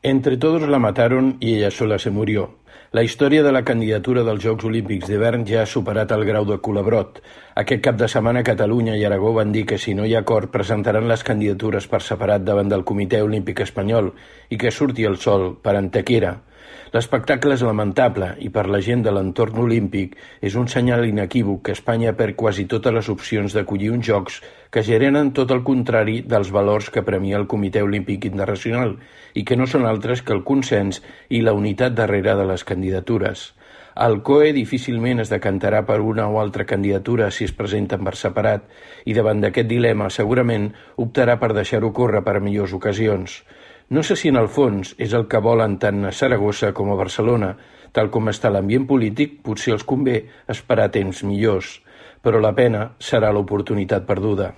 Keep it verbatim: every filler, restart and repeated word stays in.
Entre todos la mataron y ella sola se murió. La història de la candidatura dels Jocs Olímpics d'hivern ja ha superat el grau de culebrot. Aquest cap de setmana Catalunya i Aragó van dir que si no hi ha acord presentaran les candidatures per separat davant del Comitè Olímpic Espanyol i que surti el sol per Antequera. L'espectacle és lamentable i per la gent de l'entorn olímpic és un senyal inequívoc que Espanya perd quasi totes les opcions d'acollir uns Jocs que generen tot el contrari dels valors que premia el Comitè Olímpic Internacional i que no són altres que el consens i la unitat darrere de les candidatures. El C O E difícilment es decantarà per una o altra candidatura si es presenten per separat i davant d'aquest dilema segurament optarà per deixar-ho córrer per a millors ocasions. No sé si en el fons és el que volen tant a Saragossa com a Barcelona. Tal com està l'ambient polític, potser els convé esperar temps millors, però la pena serà l'oportunitat perduda.